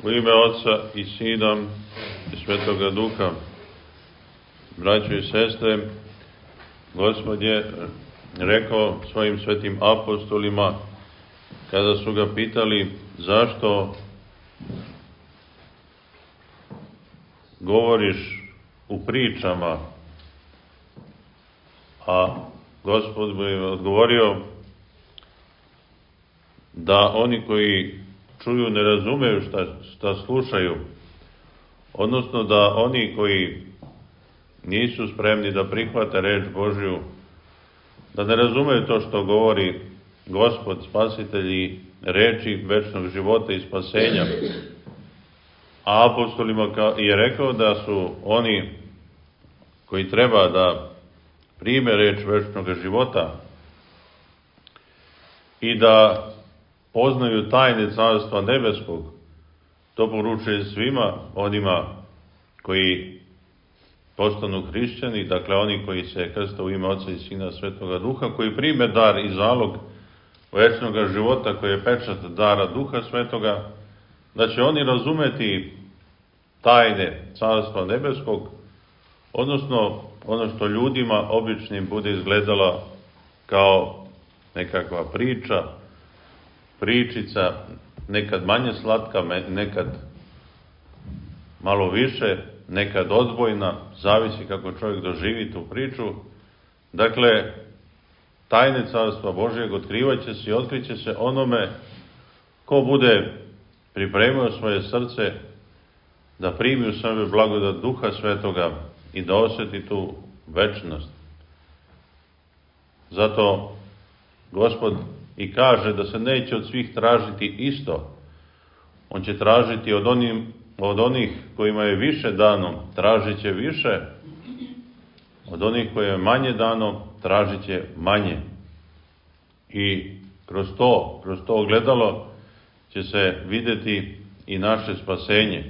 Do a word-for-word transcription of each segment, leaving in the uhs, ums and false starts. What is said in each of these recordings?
U ime Otca i Sina i Svetoga Duha, braćo i sestre, Gospod je rekao svojim svetim apostolima, kada su ga pitali zašto govoriš u pričama, a Gospod mu je odgovorio da oni koji čuju ne razumeju šta, šta slušaju, odnosno da oni koji nisu spremni da prihvate reč Božju, da ne razumeju to što govori Gospod, Spasitelj i reči večnog života i spasenja. A apostolima je rekao da su oni koji treba da prime reč večnog života i da poznaju tajne Carstva nebeskog, to poručuje svima onima koji postanu hrišćani, dakle oni koji se krste u ime Otca i Sina Svetoga Duha, koji prime dar i zalog večnog života, koji je pečat dara Duha Svetoga, da će oni razumeti tajne Carstva nebeskog, odnosno ono što ljudima običnim bude izgledala kao nekakva priča, pričica, nekad manje slatka, nekad malo više, nekad odbojna, zavisi kako čovjek doživi tu priču. Dakle, tajne Carstva Božjeg otkrivat će se i otkriće se onome ko bude pripremio svoje srce da primi u sebe blagodat Duha Svetoga i da osjeti tu večnost. Zato Gospod i kaže da se neće od svih tražiti isto. On će tražiti od, onim, od onih kojima je više dano, tražit će više. Od onih kojima je manje dano, tražit će manje. I kroz to, kroz to ogledalo će se vidjeti i naše spasenje.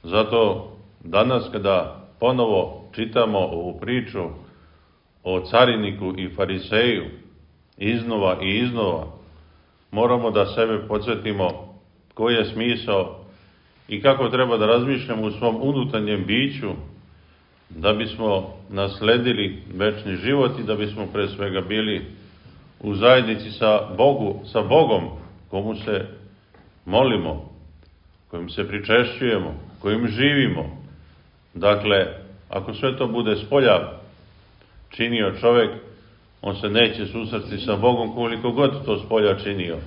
Zato danas kada ponovo čitamo ovu priču o cariniku i fariseju, iznova i iznova, moramo da sebe podsjetimo koji je smisao i kako treba da razmišljamo u svom unutarnjem biću da bismo nasledili večni život i da bismo pre svega bili u zajednici sa Bogu, sa Bogom, komu se molimo, kojim se pričešćujemo, kojim živimo. Dakle, ako sve to bude spolja činio čovjek, on se neće susresti sa Bogom koliko god to spolja činio,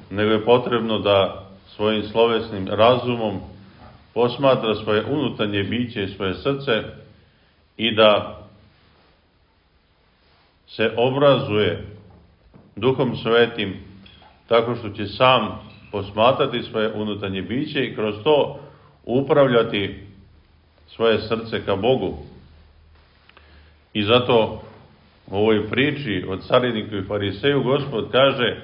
nego je potrebno da svojim slovesnim razumom posmatra svoje unutarnje biće i svoje srce i da se obrazuje Duhom Svetim tako što će sam posmatrati svoje unutarnje biće i kroz to upravljati svoje srce ka Bogu. I zato u ovoj priči o cariniku i fariseju Gospod kaže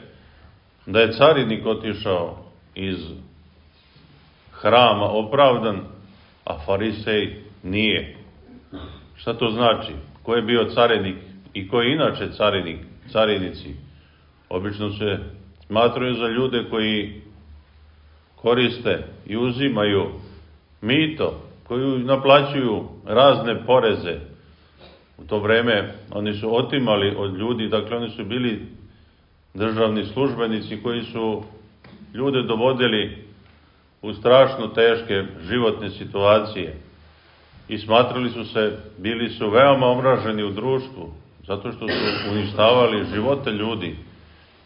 da je carinik otišao iz hrama opravdan, a farisej nije. Šta to znači? Ko je bio carinik i ko je inače carinik, carinici? Obično se smatraju za ljude koji koriste i uzimaju mito, koji naplaćuju razne poreze. U to vreme oni su otimali od ljudi, dakle oni su bili državni službenici koji su ljude dovodili u strašno teške životne situacije i smatrali su se, bili su veoma omraženi u društvu, zato što su uništavali živote ljudi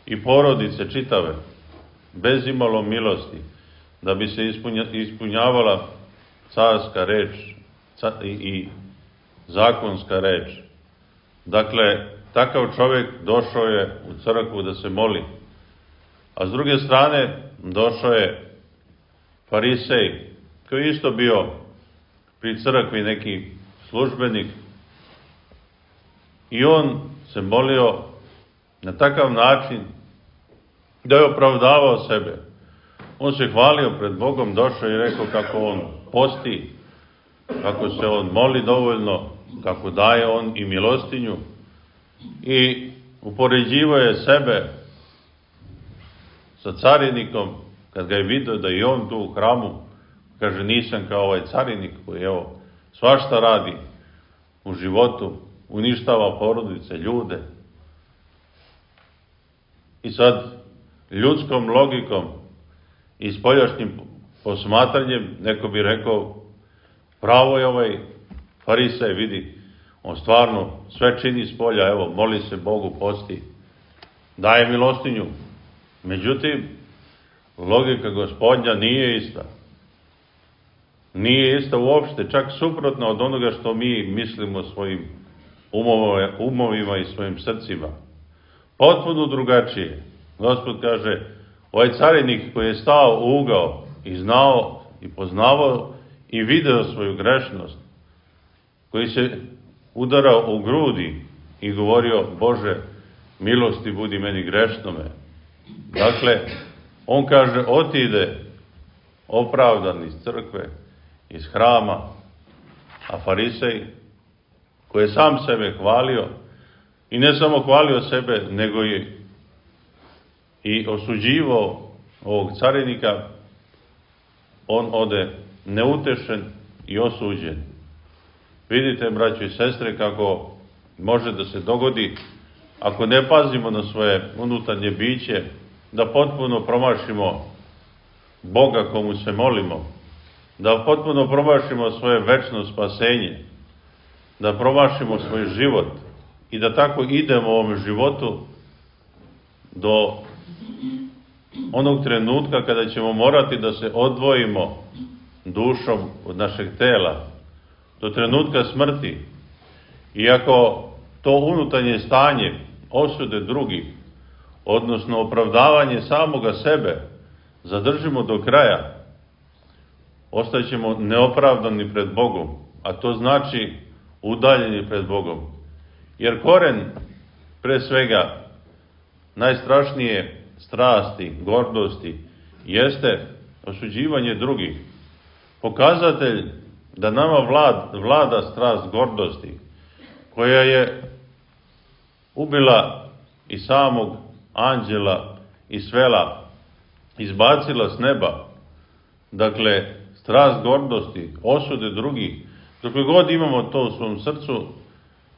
i porodice čitave, bez imalo milosti, da bi se ispunja, ispunjavala carska reč i, i zakonska reč. Dakle, takav čovjek došao je u crkvu da se moli. A s druge strane, došao je farisej, koji je isto bio pri crkvi neki službenik. I on se molio na takav način da je opravdavao sebe. On se hvalio pred Bogom, došao i rekao kako on posti, kako se on moli dovoljno, kako daje on i milostinju, i upoređivao je sebe sa carinikom kad ga je vidio da je on tu u hramu, kaže, nisam kao ovaj carinik koji, evo, svašta radi u životu, uništava porodice, ljude. I sad, ljudskom logikom i spoljašnjim posmatranjem, neko bi rekao, pravo je ovaj farisej, vidi, on stvarno sve čini s polja, evo, moli se Bogu, posti, daje milostinju. Međutim, logika Gospodnja nije ista. Nije ista uopšte, čak suprotno od onoga što mi mislimo svojim umovima i svojim srcima. Potpuno drugačije. Gospod kaže, ovaj carinik koji je stao u ugao i znao i poznavao i video svoju grešnost, koji se udarao u grudi i govorio, Bože, milosti budi meni grešnome. Dakle, on kaže, otide opravdan iz crkve, iz hrama, a farisej, koji je sam sebe hvalio, i ne samo hvalio sebe, nego je i osuđivao ovog carinika, on ode neutešen i osuđen. Vidite, braćo i sestre, kako može da se dogodi, ako ne pazimo na svoje unutarnje biće, da potpuno promašimo Boga komu se molimo, da potpuno promašimo svoje večno spasenje, da promašimo svoj život i da tako idemo u ovom životu do onog trenutka kada ćemo morati da se odvojimo dušom od našeg tela, do trenutka smrti. Iako to unutarnje stanje osude drugih, odnosno opravdavanje samoga sebe, zadržimo do kraja, ostaćemo neopravdani pred Bogom, a to znači udaljeni pred Bogom. Jer koren, pre svega, najstrašnije strasti, gordosti, jeste osuđivanje drugih. Pokazatelj da nama vlad, vlada strast gordosti, koja je ubila i samog anđela i svela, izbacila s neba. Dakle, strast gordosti, osude drugih, dokle god imamo to u svom srcu,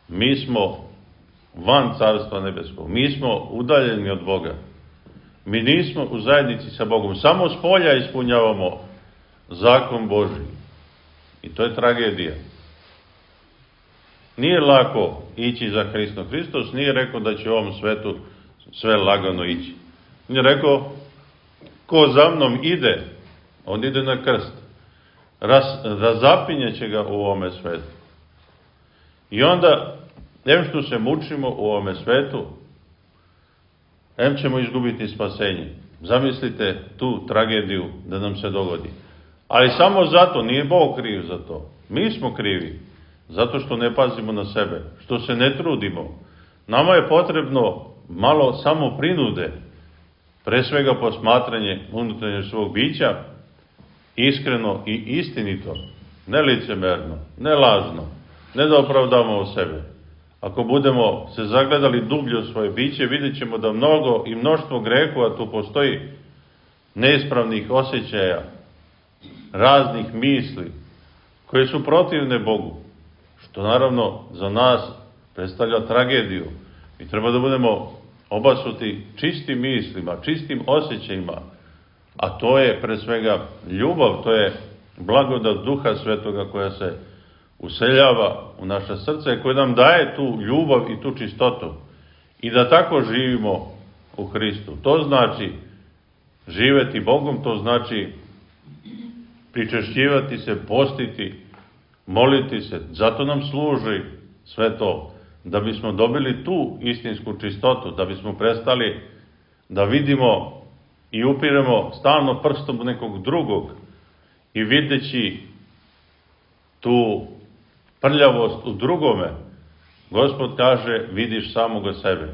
mi smo van Carstva nebeskog, mi smo udaljeni od Boga. Mi nismo u zajednici sa Bogom, samo s polja ispunjavamo zakon Božji. I to je tragedija. Nije lako ići za Hristom. Hristos nije rekao da će u ovom svetu sve lagano ići. On je rekao, ko za mnom ide, on ide na krst. Raz, razapinje će ga u ovome svetu. I onda, em što se mučimo u ovome svetu, em ćemo izgubiti spasenje. Zamislite tu tragediju da nam se dogodi. Ali samo zato, nije Bog kriv za to. Mi smo krivi, zato što ne pazimo na sebe, što se ne trudimo. Nama je potrebno malo samo prinude, pre svega posmatranje unutarnjeg svog bića, iskreno i istinito, ne licemerno, ne lažno, ne da opravdamo sebe. Ako budemo se zagledali dublje u svoje biće, vidjet ćemo da mnogo i mnoštvo grehova tu postoji, neispravnih osjećaja, raznih misli, koje su protivne Bogu, što naravno za nas predstavlja tragediju. I treba da budemo obasuti čistim mislima, čistim osjećajima, a to je pre svega ljubav, to je blagodat Duha Svetoga koja se useljava u naša srca i koja nam daje tu ljubav i tu čistotu. I da tako živimo u Hristu. To znači živeti Bogom, to znači pričešćivati se, postiti, moliti se. Zato nam služi sve to, da bismo dobili tu istinsku čistotu, da bismo prestali da vidimo i upiremo stalno prstom nekog drugog i videći tu prljavost u drugome, Gospod kaže, vidiš samoga sebe.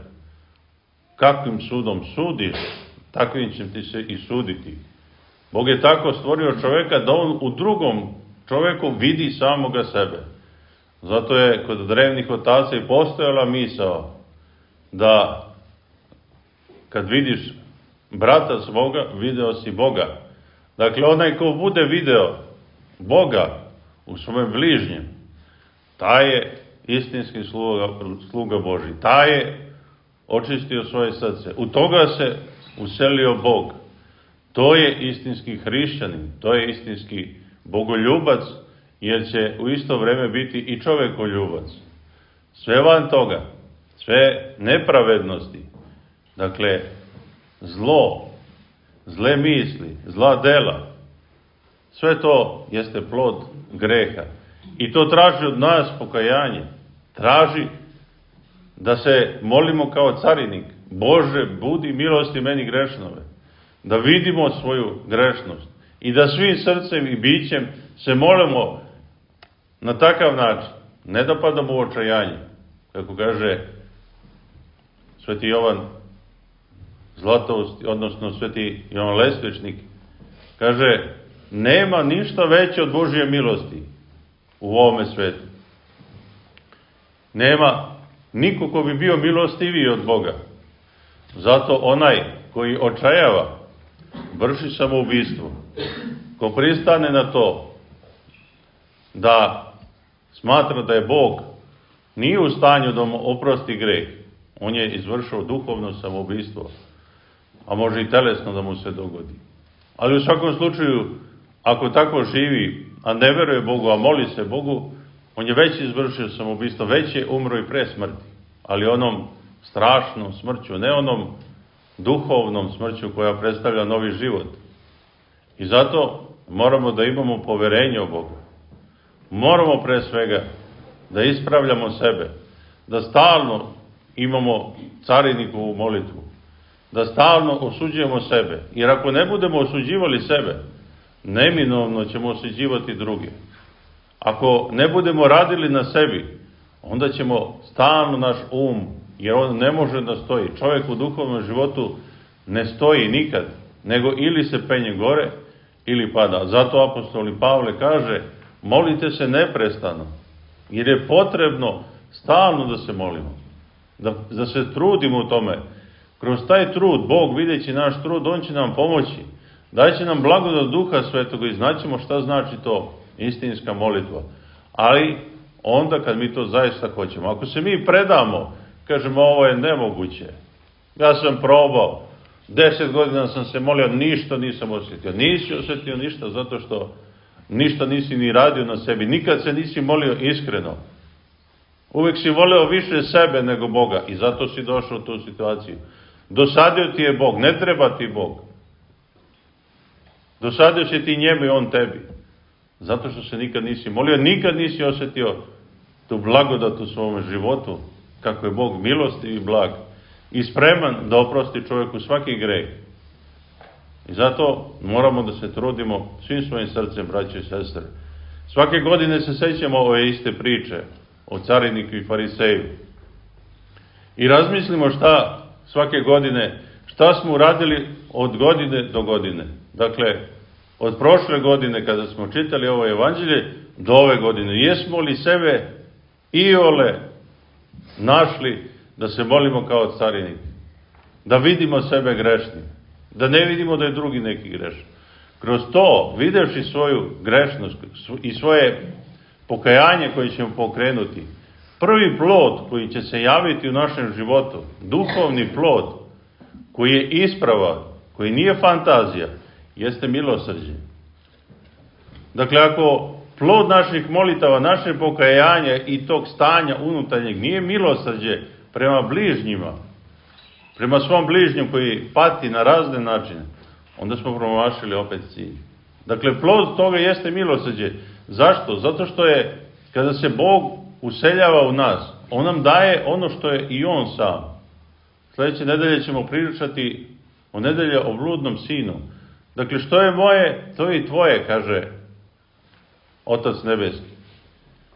Kakvim sudom sudiš, takvim će ti se i suditi. Bog je tako stvorio čoveka da on u drugom čoveku vidi samoga sebe. Zato je kod drevnih otaca i postojala misao da kad vidiš brata svoga, video si Boga. Dakle, onaj ko bude video Boga u svome bližnjem, taj je istinski sluga, sluga Božji. Taj je očistio svoje srce. U toga se uselio Bog. To je istinski hrišćanin, to je istinski bogoljubac, jer će u isto vreme biti i čovekoljubac. Sve van toga, sve nepravednosti, dakle, zlo, zle misli, zla dela, sve to jeste plod greha. I to traži od nas pokajanje. Traži da se molimo kao carinik. Bože, budi milosti meni grešnove. Da vidimo svoju grešnost. I da svim srcem i bićem se molimo na takav način. Ne da padamo u očajanje. Kako kaže sveti Jovan Zlatoust, odnosno sveti Jovan Lestvičnik, kaže, nema ništa veće od Božje milosti u ovome svetu. Nema niko ko bi bio milostiviji od Boga. Zato onaj koji očajava, vrši samoubistvo, ko pristane na to da smatra da je Bog nije u stanju da mu oprosti greh, on je izvršio duhovno samoubistvo, a može i telesno da mu se dogodi. Ali u svakom slučaju, ako tako živi, a ne veruje Bogu, a moli se Bogu, on je već izvršio samoubistvo, već je umro i pre smrti, ali onom strašnom smrću, ne onom duhovnom smrću koja predstavlja novi život. I zato moramo da imamo poverenje u Bogu. Moramo pre svega da ispravljamo sebe, da stalno imamo carinikovu molitvu, da stalno osuđujemo sebe, jer ako ne budemo osuđivali sebe, neminovno ćemo osuđivati druge. Ako ne budemo radili na sebi, onda ćemo stalno naš um, jer on ne može da stoji. Čovjek u duhovnom životu ne stoji nikad, nego ili se penje gore, ili pada. Zato apostol Pavle kaže, molite se neprestano, jer je potrebno stalno da se molimo, da, da se trudimo u tome. Kroz taj trud, Bog videći naš trud, on će nam pomoći. Daće nam blagodat Duha Svetoga i znaćemo šta znači to istinska molitva. Ali onda kad mi to zaista hoćemo. Ako se mi predamo, kažemo ovo je nemoguće. Ja sam probao, deset godina sam se molio, ništa nisam osjetio. Nisi osjetio ništa zato što ništa nisi ni radio na sebi. Nikad se nisi molio iskreno. Uvijek si voleo više sebe nego Boga i zato si došao u tu situaciju. Dosadio ti je Bog, ne treba ti Bog. Dosadio si ti njemu i on tebi. Zato što se nikad nisi molio, nikad nisi osjetio tu blagodat u svome životu, kako je Bog milostiv i blag i spreman da oprosti čovjeku svaki greh. I zato moramo da se trudimo svim svojim srcem, braće i sestre. Svake godine se sećamo ove iste priče o cariniku i fariseju. I razmislimo šta svake godine, šta smo uradili od godine do godine. Dakle, od prošle godine kada smo čitali ovo evanđelje do ove godine. Jesmo li sebe iole našli da se molimo kao carinik? Da vidimo sebe grešnim. Da ne vidimo da je drugi neki grešan. Kroz to, videvši svoju grešnost i svoje pokajanje koje ćemo pokrenuti, prvi plod koji će se javiti u našem životu, duhovni plod, koji je ispravan, koji nije fantazija, jeste milosrđe. Dakle, ako plod naših molitava, naše pokajanja i tog stanja unutarnjeg nije milosrđe prema bližnjima, prema svom bližnjom koji pati na razne načine, onda smo promašili opet cilj. Dakle, plod toga jeste milosrđe. Zašto? Zato što je, kada se Bog useljava u nas, on nam daje ono što je i on sam. Sljedeće nedelje ćemo pričati o nedelje o bludnom sinu. Dakle, što je moje, to je i tvoje, kaže Otac Nebeski.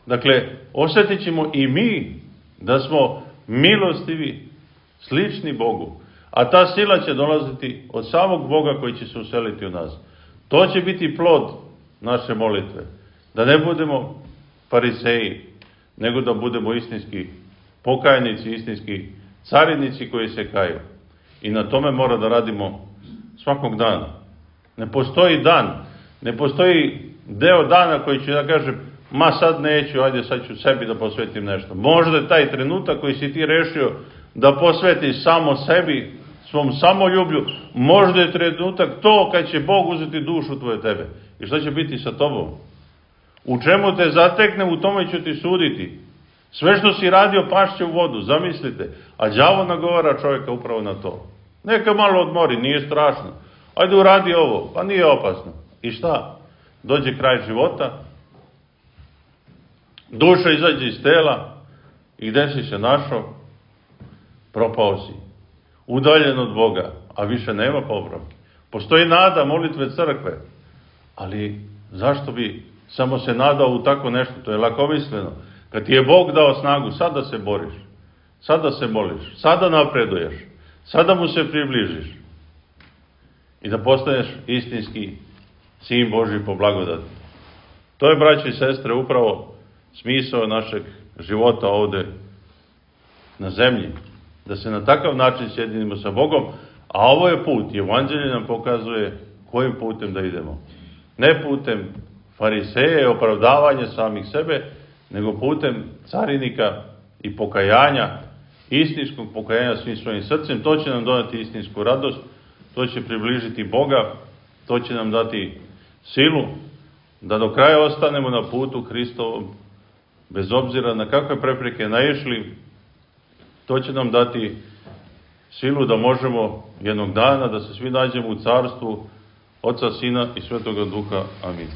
Dakle, osjetit ćemo i mi da smo milostivi, slični Bogu. A ta sila će dolaziti od samog Boga koji će se useliti u nas. To će biti plod naše molitve. Da ne budemo fariseji, nego da budemo istinski pokajnici, istinski carinici koji se kaju. I na tome mora da radimo svakog dana. Ne postoji dan, ne postoji deo dana koji će da kažem, ma sad neću, ajde sad ću sebi da posvetim nešto. Možda je taj trenutak koji si ti rešio da posvetiš samo sebi, svom samoljublju, možda je trenutak to kad će Bog uzeti dušu tvoje tebe. I šta će biti sa tobom? U čemu te zatekne, u tome ću ti suditi. Sve što si radio pašće u vodu, zamislite. A đavo nagovara čovjeka upravo na to. Neka malo odmori, nije strašno. Ajde uradi ovo, pa nije opasno. I šta? Dođe kraj života, duša izađe iz tela i gde si se našao? Propao si. Udaljen od Boga, a više nema popravke. Postoji nada molitve crkve, ali zašto bi samo se nadao u tako nešto? To je lakomisleno. Kad ti je Bog dao snagu, sada se boriš, sada se moliš, sada napreduješ, sada mu se približiš i da postaneš istinski sin Božji po blagodati. To je, braći i sestre, upravo smisao našeg života ovde na zemlji. Da se na takav način sjedinimo sa Bogom, a ovo je put. Evanđelje nam pokazuje kojim putem da idemo. Ne putem fariseja i opravdavanja samih sebe, nego putem carinika i pokajanja, istinskog pokajanja svim svojim srcem. To će nam donati istinsku radost, to će približiti Boga, to će nam dati silu da do kraja ostanemo na putu Hristovom, bez obzira na kakve prepreke naišli. To će nam dati silu da možemo jednog dana da se svi nađemo u carstvu Oca, Sina i Svetoga Duha. Amin.